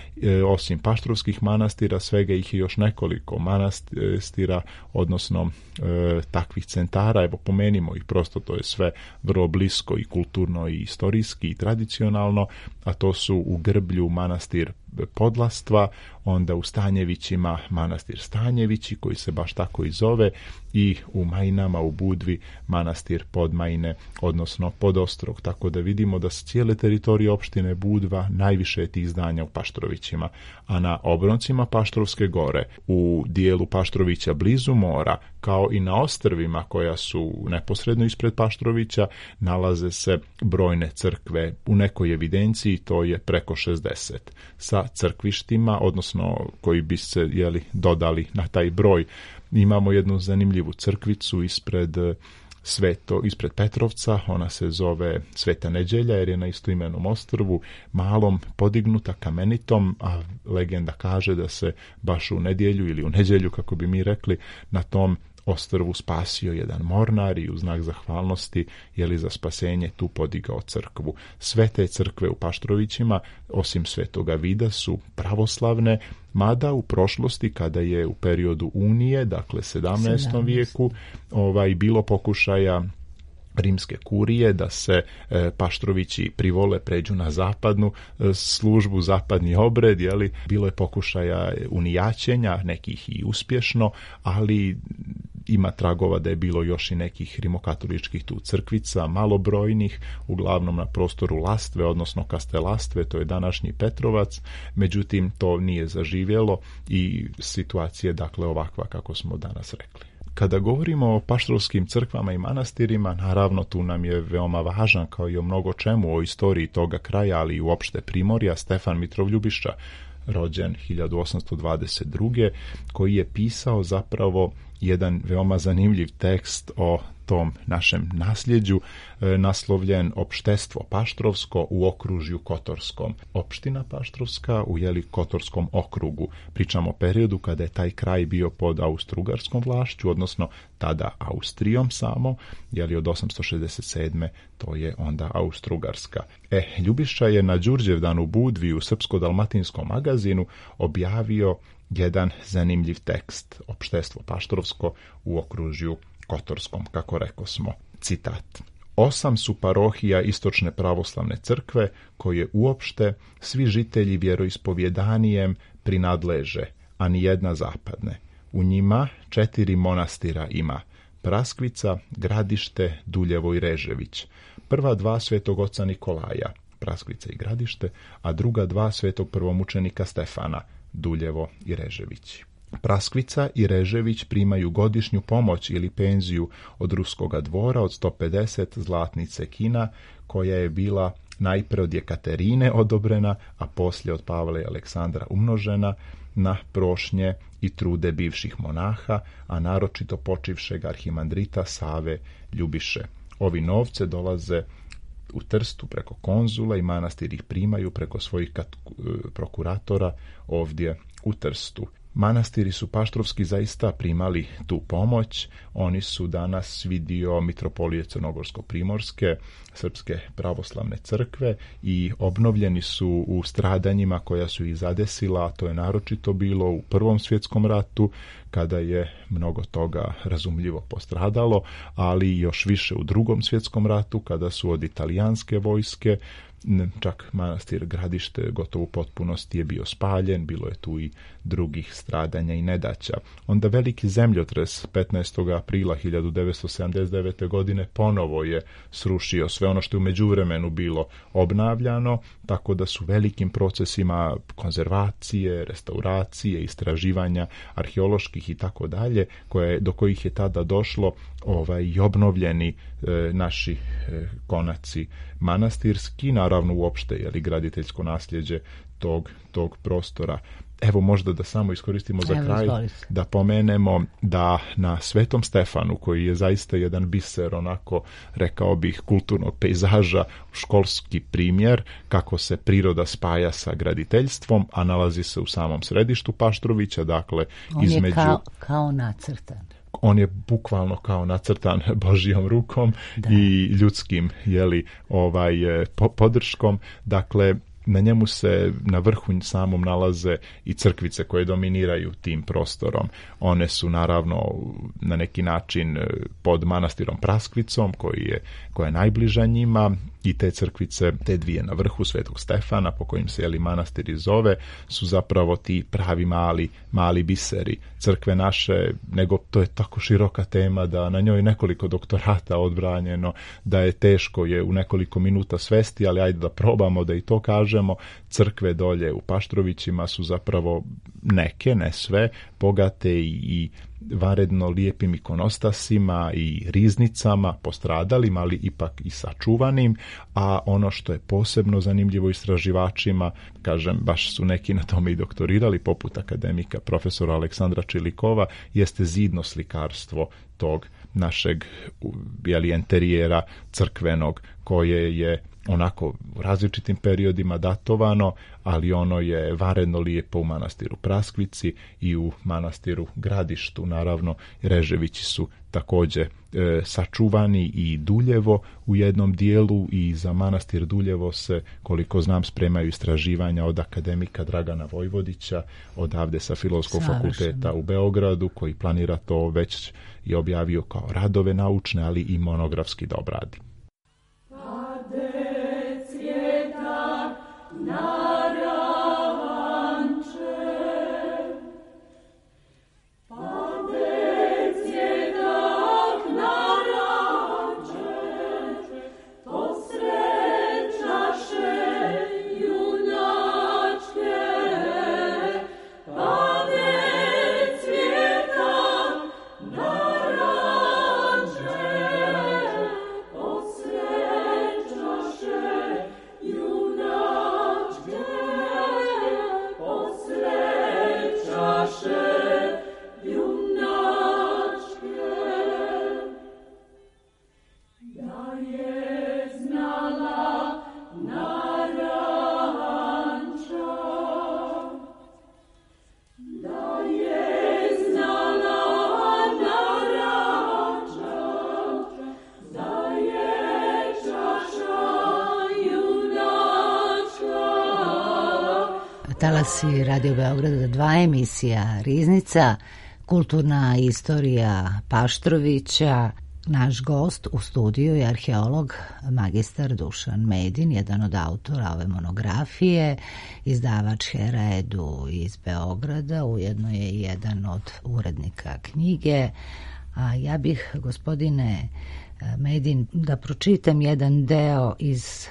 osim paštrovskih manastira, svega ih je još nekoliko manastira, odnosno takvih centara. Evo, pomenimo ih, prosto to je sve vrlo blisko i kulturno i istorijski i tradicionalno, a to su u Grblju manastir Podlastva, onda u Stanjevićima manastir Stanjevići, koji se baš tako i zove, i u Majinama u Budvi manastir Podmajine, odnosno Podostrog. Tako da vidimo da s cijele teritorije opštine Budva najviše je tih zdanja u Paštrovićima, a na obroncima Paštrovske gore, u dijelu Paštrovića blizu mora, kao i na ostrvima koja su neposredno ispred Paštrovića, nalaze se brojne crkve. U nekoj evidenciji to je preko 60 sa crkvištima, odnosno koji bi se dodali na taj broj. Imamo jednu zanimljivu crkvicu ispred Petrovca, ona se zove Sveta Neđelja, jer je na istoimenom ostrvu, malom, podignuta kamenitom, a legenda kaže da se baš u nedjelju ili u nedjelju, kako bi mi rekli, na tom ostrvu spasio jedan mornar i u znak zahvalnosti za spasenje tu podigao crkvu. Sve te crkve u Paštrovićima, osim Svetoga Vida, su pravoslavne, mada u prošlosti, kada je u periodu Unije, dakle 17. vijeku, bilo pokušaja rimske kurije da se Paštrovići privole pređu na zapadnu službu, zapadni obred, bilo je pokušaja unijaćenja, nekih i uspješno, ali ima tragova da je bilo još i nekih rimokatoličkih tu crkvica, malobrojnih, uglavnom na prostoru Lastve, odnosno Kastelastve, to je današnji Petrovac, međutim to nije zaživjelo i situacija je dakle ovakva kako smo danas rekli. Kada govorimo o paštrovskim crkvama i manastirima, naravno tu nam je veoma važan, kao i o mnogo čemu o istoriji toga kraja, ali i uopšte Primorja, Stefan Mitrov Ljubiša, rođen 1822. koji je pisao zapravo jedan veoma zanimljiv tekst o tom našem nasljeđu, naslovljen Opštestvo Paštrovsko u okružju Kotorskom. Opština Paštrovska u Kotorskom okrugu. Pričamo o periodu kada je taj kraj bio pod austrougarskom vlašću, odnosno tada Austrijom samo, od 867. to je onda Austrougarska. Ljubiša je na Đurđevdanu Budvi u Srpsko-dalmatinskom magazinu objavio jedan zanimljiv tekst, Opštestvo Paštrovsko u okružju Kotorskom, kako rekosmo. Citat. 8 su parohija Istočne pravoslavne crkve, koje uopšte svi žitelji vjeroispovjedanijem prinadleže, a ni jedna zapadne. U njima 4 monastira ima: Praskvica, Gradište, Duljevo i Režević. Prva 2 svetog oca Nikolaja, Praskvica i Gradište, a druga 2 svetog prvomučenika Stefana, Duljevo i Režević. Praskvica i Režević primaju godišnju pomoć ili penziju od ruskoga dvora od 150 zlatnice kina, koja je bila najpre od Jekaterine odobrena, a poslije od Pavla i Aleksandra umnožena na prošnje i trude bivših monaha, a naročito počivšeg arhimandrita Save Ljubiše. Ovi novce dolaze u Trstu preko konzula i manastir ih primaju preko svojih prokuratora ovdje u Trstu. Manastiri su paštrovski zaista primali tu pomoć. Oni su danas svi dio Mitropolije Crnogorsko-Primorske, Srpske pravoslavne crkve i obnovljeni su u stradanjima koja su ih zadesila, a to je naročito bilo u Prvom svjetskom ratu, kada je mnogo toga razumljivo postradalo, ali još više u Drugom svjetskom ratu, kada su od italijanske vojske, čak manastir Gradište gotovo u potpunosti je bio spaljen, bilo je tu i drugih stradanja i nedaća. Onda veliki zemljotres 15. aprila 1979. godine ponovo je srušio sve ono što je u međuvremenu bilo obnavljano, tako da su velikim procesima konzervacije, restauracije, istraživanja arheoloških i tako dalje, do kojih je tada došlo i obnovljeni naši konaci manastirski, naravno uopšte graditeljsko nasljeđe tog prostora. Evo možda da samo iskoristimo za kraj da pomenemo da na Svetom Stefanu, koji je zaista jedan biser, onako rekao bih, kulturnog pejzaža, školski primjer kako se priroda spaja sa graditeljstvom, a nalazi se u samom središtu Paštrovića, dakle između... On je kao nacrtan. On je bukvalno kao nacrtan Božjom rukom i ljudskim podrškom. Dakle, na njemu se na vrhu samom nalaze i crkvice koje dominiraju tim prostorom. One su naravno na neki način pod manastirom Praskvicom koja je najbliža njima, i te crkvice, te dvije na vrhu Svetog Stefana, po kojim se manastir i zove, su zapravo ti pravi mali biseri crkve naše, nego to je tako široka tema da na njoj nekoliko doktorata odbranjeno, da je teško je u nekoliko minuta svesti, ali ajde da probamo da i to kažemo. Crkve dolje u Paštrovićima su zapravo neke, ne sve, bogate i vanredno lijepim ikonostasima i riznicama, postradalim, ali ipak i sačuvanim, a ono što je posebno zanimljivo istraživačima, kažem, baš su neki na tome i doktorirali, poput akademika profesora Aleksandra Čilikova, jeste zidno slikarstvo tog našeg enterijera crkvenog, koje je onako u različitim periodima datovano, ali ono je vanredno lijepo u manastiru Praskvici i u manastiru Gradištu. Naravno, Reževići su također sačuvani i Duljevo u jednom dijelu, i za manastir Duljevo se, koliko znam, spremaju istraživanja od akademika Dragana Vojvodića, odavde sa Filozofskog fakulteta u Beogradu, koji planira to već i objavio kao radove naučne, ali i monografski da obradi. Pade cvjeta talasi Radio Beograda 2, emisija Riznica, kulturna istorija Paštrovića. Naš gost u studiju je arheolog magistar Dušan Medin, jedan od autora ove monografije, izdavač Hera Edu iz Beograda, ujedno je jedan od urednika knjige. A ja bih, gospodine Medin, da pročitam jedan deo iz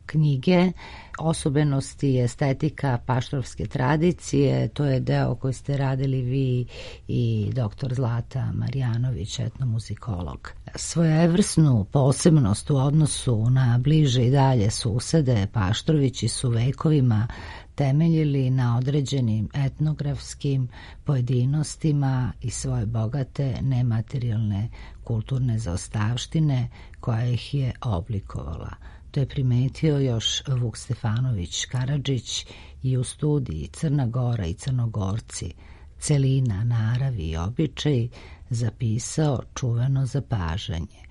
knjige Osobenosti i estetika paštrovske tradicije. To je deo koji ste radili vi i dr. Zlata Marjanović, etnomuzikolog. Svojevrsnu posebnost u odnosu na bliže i dalje susede Paštrovići su vekovima temeljili na određenim etnografskim pojedinostima i svoje bogate nematerijalne kulturne zaostavštine koja ih je oblikovala. To je primetio još Vuk Stefanović Karadžić i u studiji Crna Gora i Crnogorci, celina, naravi i običaj zapisao čuveno zapažanje.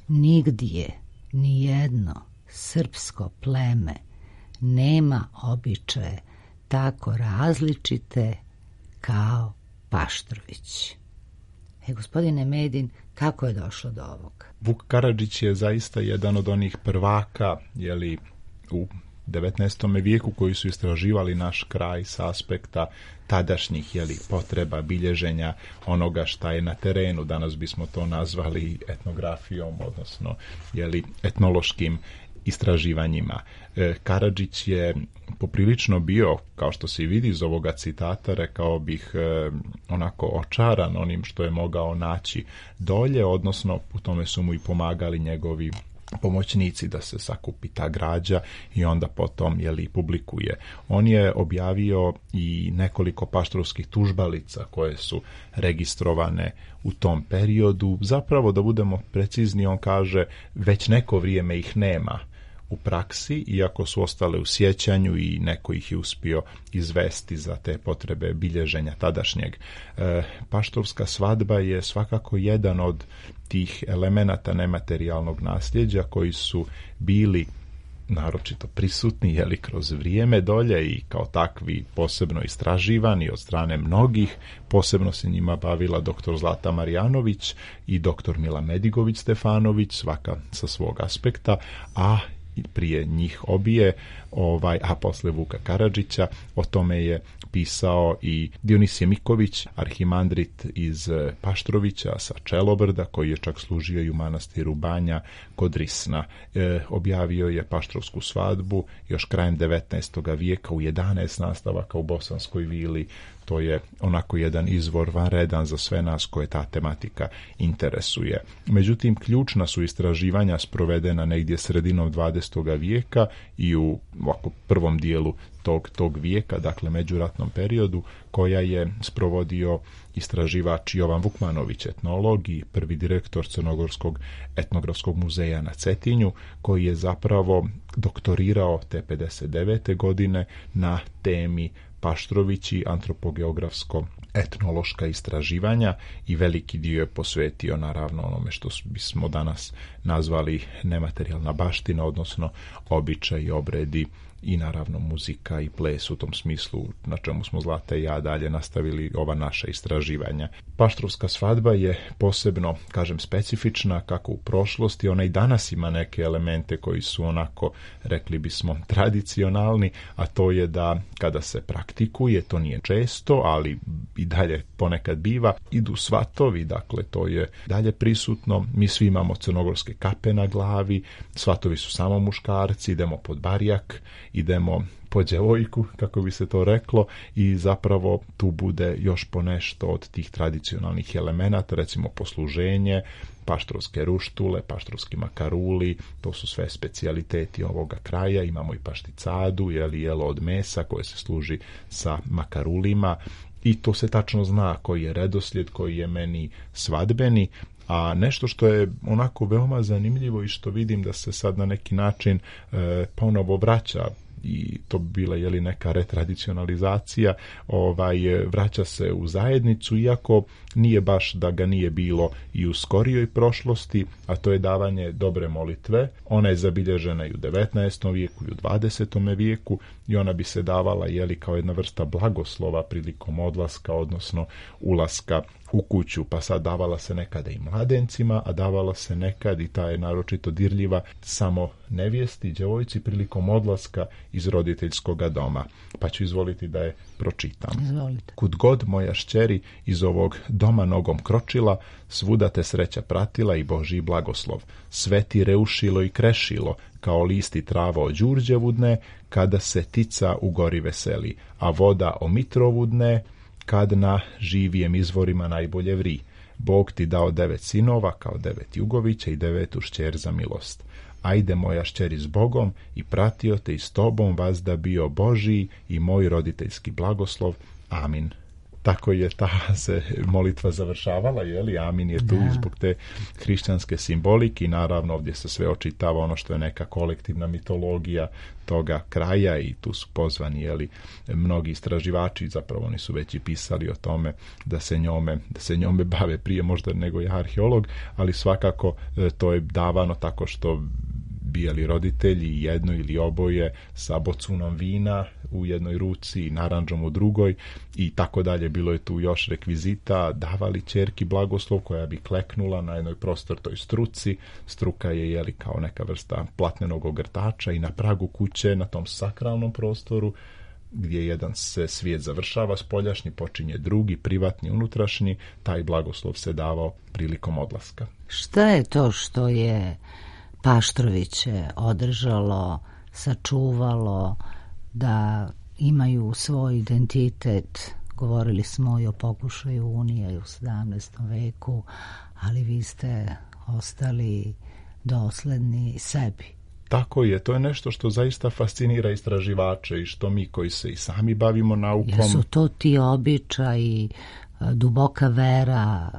Nigdje ni jedno srpsko pleme nema običaje tako različite kao Paštrović. Gospodine Medin, kako je došlo do ovog? Vuk Karadžić je zaista jedan od onih prvaka u 19. vijeku koji su istraživali naš kraj sa aspekta tadašnjih potreba bilježenja onoga šta je na terenu. Danas bismo to nazvali etnografijom, odnosno etnološkim istraživanjima. Karadžić je poprilično bio, kao što se i vidi iz ovoga citata, rekao bih onako očaran onim što je mogao naći dolje, odnosno u tome su mu i pomagali njegovi pomoćnici da se sakupi ta građa i onda potom publikuje. On je objavio i nekoliko paštrovskih tužbalica koje su registrovane u tom periodu. Zapravo, da budemo precizni, on kaže već neko vrijeme ih nema u praksi, iako su ostale u sjećanju i neko ih je uspio izvesti za te potrebe bilježenja tadašnjeg. Paštrovska svadba je svakako jedan od tih elemenata nematerijalnog nasljeđa koji su bili naročito prisutni kroz vrijeme dolje i kao takvi posebno istraživani od strane mnogih. Posebno se njima bavila dr. Zlata Marjanović i dr. Mila Medigović Stefanović, svaka sa svog aspekta, a prije njih obije, a posle Vuka Karadžića, o tome je pisao i Dionisije Miković, arhimandrit iz Paštrovića sa Čelobrda, koji je čak služio i u manastiru Banja kod Risna. Objavio je Paštrovsku svadbu još krajem 19. vijeka u 11 nastavaka u Bosanskoj vili. To je onako jedan izvor vanredan za sve nas koje ta tematika interesuje. Međutim, ključna su istraživanja sprovedena negdje sredinom 20. vijeka i u ovako prvom dijelu tog vijeka, dakle međuratnom periodu, koja je sprovodio istraživač Jovan Vukmanović, etnolog i prvi direktor Crnogorskog etnografskog muzeja na Cetinju, koji je zapravo doktorirao te 59. godine na temi Paštrovići, antropogeografsko etnološka istraživanja, i veliki dio je posvetio naravno onome što bismo danas nazvali nematerijalna baština, odnosno običaji, obredi i naravno muzika i ples, u tom smislu na čemu smo Zlata i ja dalje nastavili ova naša istraživanja. Paštrovska svadba je posebno, kažem, specifična kako u prošlosti, ona i danas ima neke elemente koji su onako, rekli bismo, tradicionalni, a to je da kada se praktikuje, to nije često, ali i dalje ponekad biva, idu svatovi, dakle to je dalje prisutno. Mi svi imamo crnogorske kape na glavi, svatovi su samo muškarci, idemo pod barjak, idemo po djevojku, kako bi se to reklo, i zapravo tu bude još ponešto od tih tradicionalnih elemenata, recimo posluženje, paštrovske ruštule, paštrovski makaruli, to su sve specijaliteti ovoga kraja. Imamo i pašticadu, jelo od mesa koje se služi sa makarulima, i to se tačno zna koji je redoslijed, koji je meni svadbeni. A nešto što je onako veoma zanimljivo i što vidim da se sad na neki način ponovo vraća i to bi bila neka retradicionalizacija, vraća se u zajednicu, iako nije baš da ga nije bilo i u skorijoj prošlosti, a to je davanje dobre molitve. Ona je zabilježena i u 19. vijeku i u 20. vijeku i ona bi se davala kao jedna vrsta blagoslova prilikom odlaska, odnosno ulaska u kuću, pa sad davala se nekada i mladencima, a davala se nekad, i ta je naročito dirljiva, samo nevjesti, djevojci prilikom odlaska iz roditeljskog doma. Pa ću izvoliti da je pročitam. Izvolite. Kud god moja šćeri iz ovog doma nogom kročila, svuda te sreća pratila i Božji blagoslov. Sve ti reušilo i krešilo, kao listi trava o đurđevu dne, kada se tica u gori veseli, a voda o mitrovu dne, kad na živijem izvorima najbolje vri. Bog ti dao 9 sinova, kao 9 jugovića i 9 šćer za milost. Ajde moja šćeri s Bogom i pratio te i s tobom vazda bio Božiji i moj roditeljski blagoslov. Amin. Tako je ta se molitva završavala, Amin je tu zbog te hrišćanske simbolike i naravno ovdje se sve očitava ono što je neka kolektivna mitologija toga kraja i tu su pozvani mnogi istraživači, zapravo oni su već i pisali o tome da se njome bave prije možda nego je arheolog, ali svakako to je davano tako što bijeli roditelji, jedno ili oboje, sa bocunom vina u jednoj ruci i narandžom u drugoj i tako dalje. Bilo je tu još rekvizita, davali ćerki blagoslov koja bi kleknula na jednoj prostortoj struci. Struka je kao neka vrsta platnenog ogrtača i na pragu kuće, na tom sakralnom prostoru, gdje jedan se svijet završava spoljašnji, počinje drugi, privatni, unutrašnji, taj blagoslov se davao prilikom odlaska. Šta je to što je Paštroviće održalo, sačuvalo da imaju svoj identitet? Govorili smo i o pokušaju Unije u 17. veku, ali vi ste ostali dosledni sebi. Tako je, to je nešto što zaista fascinira istraživače i što mi koji se i sami bavimo naukom. Jesu to ti običaji, duboka vera,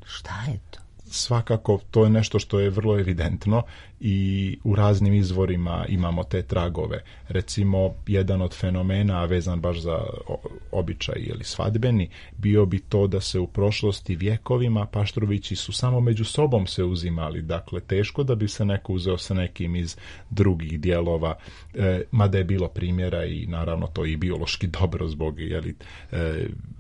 šta je to? Svakako, to je nešto što je vrlo evidentno i u raznim izvorima imamo te tragove. Recimo, jedan od fenomena vezan baš za običaj ili svadbeni, bio bi to da se u prošlosti vjekovima Paštrovići su samo među sobom se uzimali. Dakle, teško da bi se neko uzeo sa nekim iz drugih dijelova, mada je bilo primjera i naravno to i biološki dobro zbog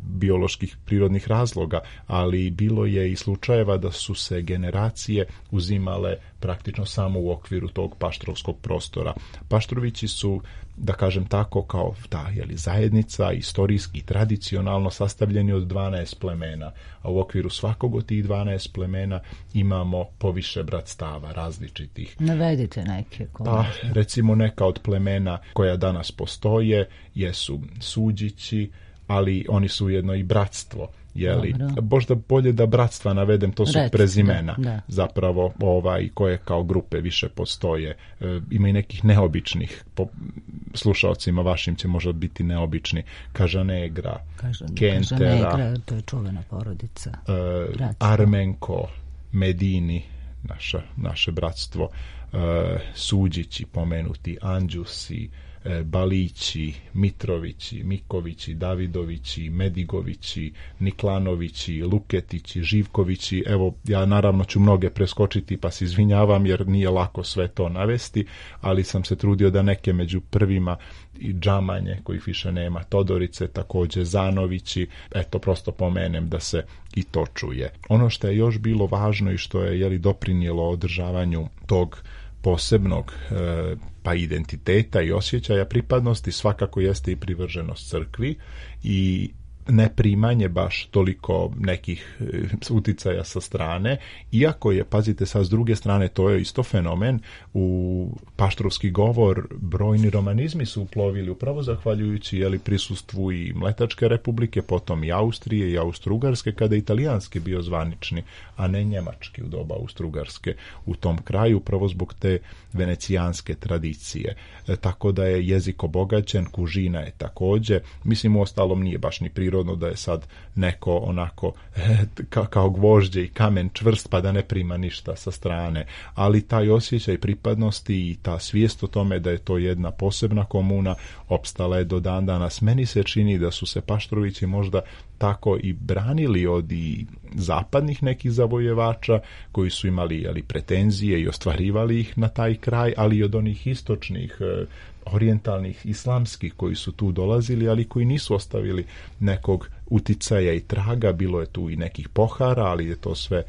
bioloških prirodnih razloga, ali bilo je i slučajeva da su se generacije uzimale praktično samo u okviru tog paštrovskog prostora. Paštrovići su, da kažem tako, kao ta zajednica, istorijski i tradicionalno sastavljeni od 12 plemena, a u okviru svakog od tih 12 plemena imamo poviše bratstava različitih. Navedite neke. Pa, recimo neka od plemena koja danas postoje jesu Suđići, ali oni su ujedno i bratstvo. Možda bolje da bratstva navedem, to su prezimena. Da. Zapravo koje kao grupe više postoje. Ima i nekih neobičnih, slušalcima vašim će možda biti neobični. Kažanegra, Kentera, to je čuvena porodica. Armenko, Medini, naše bratstvo, Suđići pomenuti, Anđusi, Balići, Mitrovići, Mikovići, Davidovići, Medigovići, Niklanovići, Luketići, Živkovići. Evo, ja naravno ću mnoge preskočiti pa se izvinjavam jer nije lako sve to navesti, ali sam se trudio da neke među prvima i Džamanje, kojih više nema, Todorice, također Zanovići, eto prosto pomenem da se i to čuje. Ono što je još bilo važno i što je doprinijelo održavanju tog posebnog pa identiteta i osjećaja pripadnosti svakako jeste i privrženost crkvi i neprimanje baš toliko nekih uticaja sa strane, iako je, pazite sad, s druge strane, to je isto fenomen, u paštrovski govor brojni romanizmi su uplovili upravo zahvaljujući prisustvu i Mletačke republike, potom i Austrije i Austro-Ugarske, kada je italijanski bio zvanični, a ne njemački u doba Austro-Ugarske u tom kraju, upravo zbog te venecijanske tradicije. Tako da je jezik obogaćen, kužina je također, mislim, u ostalom nije baš ni prirodno prirodno da je sad neko onako kao gvožđe i kamen čvrst pa da ne prima ništa sa strane, ali taj osjećaj pripadnosti i ta svijest o tome da je to jedna posebna komuna opstala je do dan danas. Meni se čini da su se Paštrovići možda tako i branili od i zapadnih nekih zavojevača koji su imali pretenzije i ostvarivali ih na taj kraj, ali i od onih istočnih, orijentalnih, islamskih koji su tu dolazili, ali koji nisu ostavili nekog uticaja i traga. Bilo je tu i nekih pohara, ali je to sve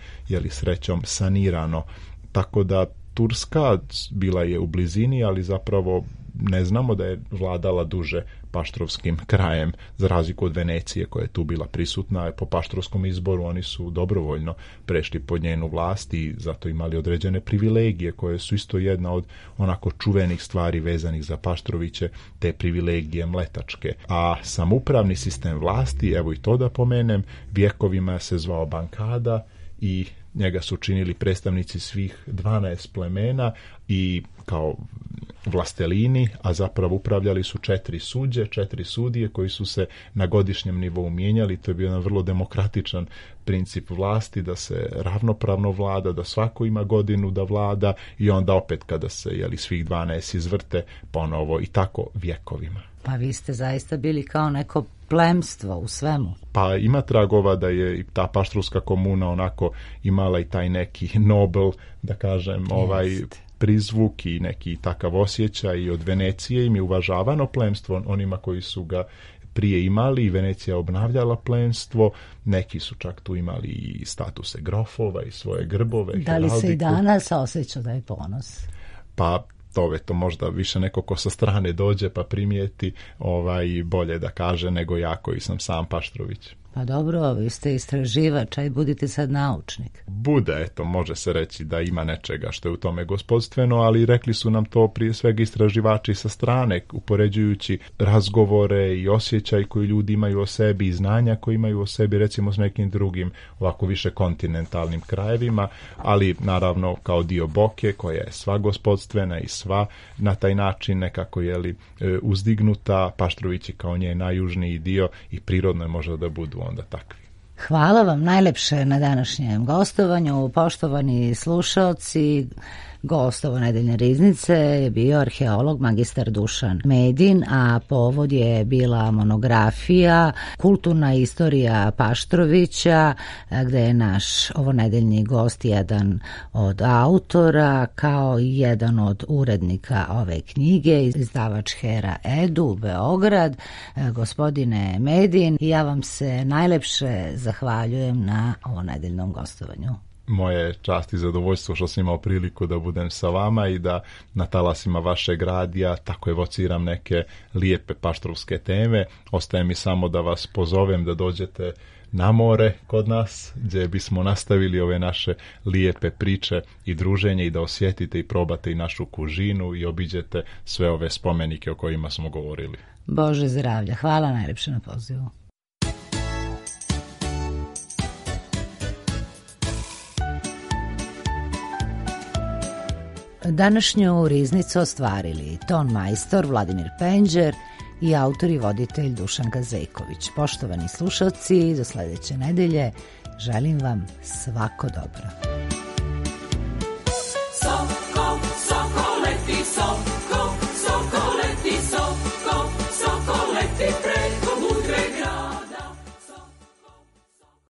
srećom sanirano. Tako da Turska bila je u blizini, ali zapravo ne znamo da je vladala duže paštrovskim krajem, za razliku od Venecije koja je tu bila prisutna. Po paštrovskom izboru oni su dobrovoljno prešli pod njenu vlast i zato imali određene privilegije koje su isto jedna od onako čuvenih stvari vezanih za Paštroviće, te privilegije mletačke. A samoupravni sistem vlasti, evo i to da pomenem, vjekovima se zvao bankada i njega su činili predstavnici svih 12 plemena i kao vlastelini, a zapravo upravljali su 4 sudije koji su se na godišnjem nivou mijenjali. To je bio jedan vrlo demokratičan princip vlasti, da se ravnopravno vlada, da svako ima godinu da vlada i onda opet kada se svih 12 izvrte ponovo i tako vjekovima. Pa vi ste zaista bili kao neko plemstvo u svemu. Pa ima tragova da je i ta paštrovska komuna onako imala i taj neki nobel, da kažem, prizvuk i neki takav osjećaj. I od Venecije im je uvažavano plemstvo, onima koji su ga prije imali, i Venecija obnavljala plemstvo. Neki su čak tu imali i statuse grofova i svoje grbove. Da li se i danas osjeća da je ponos? Pa to možda više neko ko sa strane dođe pa primijeti bolje da kaže nego ja koji sam sam Paštrović. Pa dobro, vi ste istraživač, aj budite sad naučnik. Bude, može se reći da ima nečega što je u tome gospodstveno, ali rekli su nam to prije svega istraživači sa strane, upoređujući razgovore i osjećaj koji ljudi imaju o sebi i znanja koji imaju o sebi, recimo s nekim drugim ovako više kontinentalnim krajevima, ali naravno kao dio Boke koja je sva gospodstvena i sva na taj način nekako uzdignuta. Paštrovići kao nje najjužniji dio i prirodno je možda da budu onda takvi. Hvala vam najlepše na današnjem gostovanju, poštovani slušaoci. Gost ovo nedeljne riznice je bio arheolog magistar Dušan Medin, a povod je bila monografija Kulturna istorija Paštrovića, gde je naš ovo nedeljni gost jedan od autora, kao i jedan od urednika ove knjige, izdavač Hera Edu, Beograd. Gospodine Medin, ja vam se najlepše zahvaljujem na ovo nedeljnom gostovanju. Moje čast i zadovoljstvo što sam imao priliku da budem sa vama i da na talasima vašeg radija tako evociram neke lijepe paštrovske teme. Ostaje mi samo da vas pozovem da dođete na more kod nas, gdje bismo nastavili ove naše lijepe priče i druženje i da osjetite i probate i našu kužinu i obiđete sve ove spomenike o kojima smo govorili. Bože zdravlja, hvala najljepše na pozivu. Današnju riznicu ostvarili ton majstor Vladimir Penđer i autor i voditelj Dušan Gazejković. Poštovani slušalci, do sljedeće nedelje želim vam svako dobro.